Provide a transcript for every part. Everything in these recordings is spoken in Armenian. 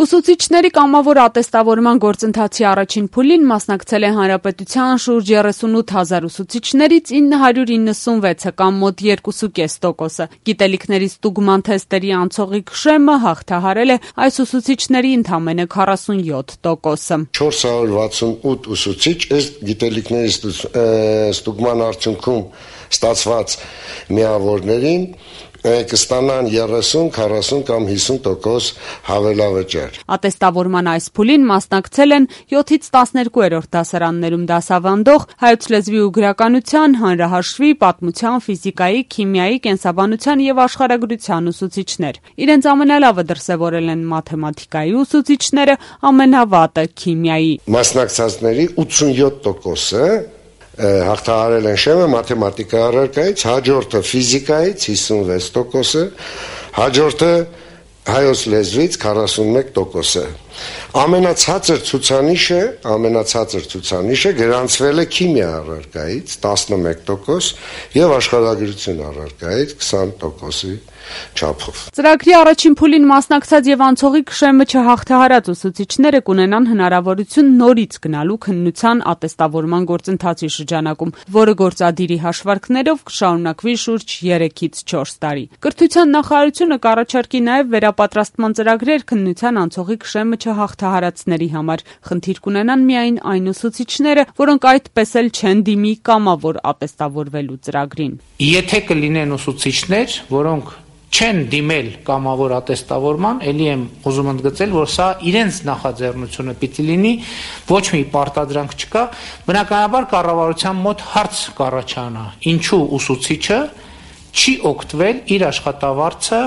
Ուսուցիչների կամավոր ատեստավորման գործընթացի առաջին փուլին մասնակցել է հանրապետության շուրջ 38 հազար ուսուցիչներից 996-ը կամ մոտ 2,5%-ը։ Գիտելիքների ստուգման թեստերի անցողիկ շեմը հաղթահարել է այս ուսուցիչների ընդամենը 47%-ը։ 468 ուսուցիչ ըստ գիտելիքների ստուգման արդյունքում ստացված միավորներին կստանան 30, 40 կամ 50% հավելավճար։ Ատեստավորման այս փուլին մասնակցել են 7-ից 12-րդ դասարաններում դասավանդող հայոց լեզվի ու գրականության, հանրահաշվի, պատմության, ֆիզիկայի, քիմիայի, կենսաբանության եւ աշխարհագրության ուսուցիչներ։ Իրենց ամենալավը դրսեւորել են մաթեմատիկայի ուսուցիչները, ամենավատը քիմիայի։ Մասնակցածների 87%-ը հաղթահարել են շեմը մաթեմատիկայի առարկայից, հաջորդը ֆիզիկայից 56%-ը, հաջորդը հայոց լեզվից 41%-ը։ Ամենացածր ցուցանիշը գրանցվել է քիմիա առարկայից 11% եւ աշխարհագրություն առարկայից 20%-ի չափով։ Ծրագրի առաջին փուլին մասնակցած եւ անցողիկ շեմը չհաղթահարած ուսուցիչները կունենան հնարավորություն նորից գնալու քննության ատեստավորման գործընթացի շրջանակում, որը գործադիրի հաշվարկներով կշարունակվի շուրջ 3-ից 4 տարի։ Կրթության նախարարությունը կառաջարկի նաեւ վերապատրաստման ծրագրեր քննության անցողիկ շեմը չհաղթահարածների համար։ Խնդիր կունենան միայն այն ուսուցիչները, որոնք այդպես էլ չեն դիմի կամավոր ատեստավորվելու ծրագրին։ Եթե կլինեն ուսուցիչներ, որոնք չեն դիմել կամավոր ատեստավորման, ելի եմ ուզում ընդգծել, որ սա իրենց նախաձեռնությունը պիտի լինի, ոչ մի պարտադրանք չկա, բնականաբար կառավարության մոտ հարց կառաջանա, ինչու ուսուցիչը չի օգտվել իր աշխատավարձը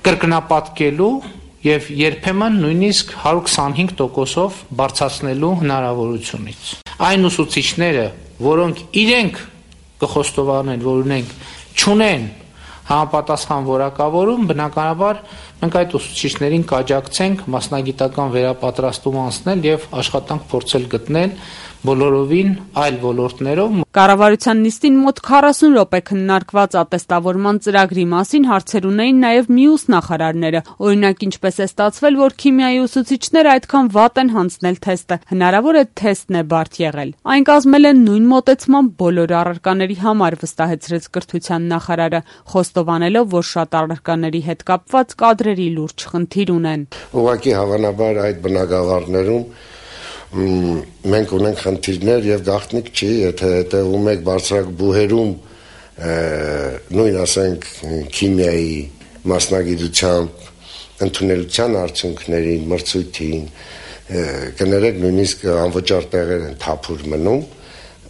կրկնապատկելու եւ երբեմն նույնիսկ 125%-ով բարձրացնելու հնարավորությունից։ Այն ուսուցիչները, որոնք իրենք կխոստովանեն, որ չունեն համապատասխան որակավորում, բնականաբար մենք այդ ուսուցիչներին կաջակցենք մասնագիտական վերապատրաստում անցնել եւ աշխատանք փորձել գտնել բոլորովին այլ ոլորտներով։ Կառավարության նիստին մոտ 40 րոպե քննարկված ատեստավորման ծրագրի մասին հարցեր ունեին նաեւ մյուս նախարարները։ Օրինակ, ինչպես է ստացվել, որ քիմիայի ուսուցիչները այդքան վատ են հանձնել թեստը։ Հնարավոր է թեստն է բարդ եղել։ Այն կազմել են նույն մոտեցմամբ բոլոր առարկաների համար, վստահեցրեց կրթության նախարարը, խոստովանելով, որ շատ առարկաների հետ կապված կադրերի լուրջ խնդիր ունեն։ Ուղղակի հավանաբար այդ բնակավարներում մենք ունենք խնդիրներ եւ գաղտնիք չի, եթե հետևում եք բարձրակ բուհերում նույն ասենք քիմիայի մասնագիտությամբ ընդունելության արդյունքներին, մրցույթին, կներեք նույնիսկ անվճար տեղեր են թափուր մնում,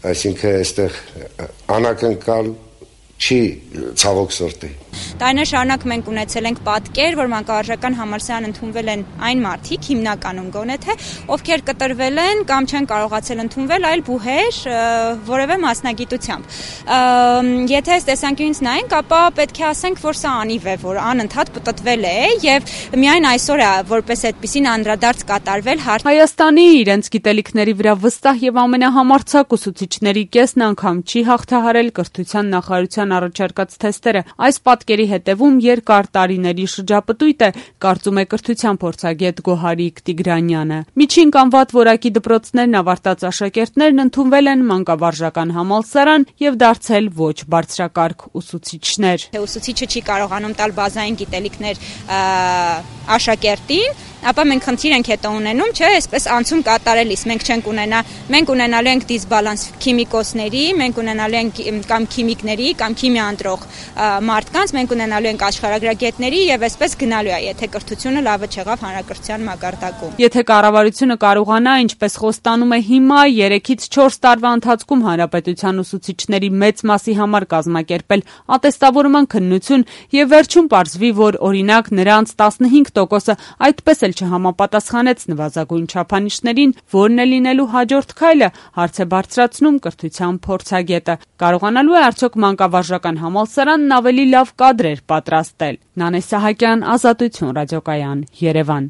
այսինքն այստեղ անակնկալ չի ցավոք սրտի։ Տարիներ շարունակ մենք ունեցել ենք պատկեր, որ մանկավարժական համալսարան ընդունվել են այն մարդիկ, հիմնականում գոնե թե, ովքեր կտրվել են կամ չեն կարողացել ընդունվել այլ բուհեր որևէ մասնագիտությամբ։ Եթե այս տեսանկյունից նայենք, ապա պետք է ասենք, որ սա անիվ է, որ անընդհատ պտտվել է եւ միայն այսօր է որպես այդպիսին անդրադարձ կատարվել։ Հայաստանի իրենց գիտելիքների վրա վստահ եւ ամենահամարձակ ուսուցիչների կեսն անգամ չի հաղթահարել կրթության նախարարության առաջարկած թեստերը։ Այս պատկերի հետևում երկար տարիների շրջապտույտ է, կարծում է կրթության փորձագետ Գոհարիկ Տիգրանյանը։ Միջին կամ վատ որակի դպրոցներն ավարտած աշակերտներն ընդունվել են մանկավարժական համալսարան եւ դարձել ոչ բարձրակարգ ուսուցիչներ։ Ուսուցիչը չի կարողանում տալ բազային գիտելիքներ աշակերտին, ապա մենք խնդիր ենք հետո ունենում, չէ, այսպես անցում կատարելիս մենք ունենալու ենք դիսբալանս քիմիկոսների, մենք ունենալու ենք կամ քիմիկների, կամ քիմիա ընտրող մարդկանց, մենք ունենալու ենք աշխարհագրագետների եւ այսպես գնալու է, եթե կրթությունը լավը չեղավ հանրակրթության մակարդակում։ Եթե կառավարությունը կարողանա, ինչպես խոստանում է հիմա, 3-ից 4 տարվա ընթացքում հանրապետության ուսուցիչների մեծ մասի համար կազմակերպել ատեստավորման քննություն եւ վերջում պարզվի, որ օրինակ նրանց 15%-ը այդպես չհամապատասխանեց նվազագույն չափանիշներին, որն է լինելու հաջորդ քայլը, հարց է բարձրացնում կրթության փորձագետը։ Կարողանալու է արդյոք մանկավարժական համալսարանն ավելի լավ կադրեր պատրաստել։ Նանե Սահակյան, Ազատություն ռադիոկայան, Երևան։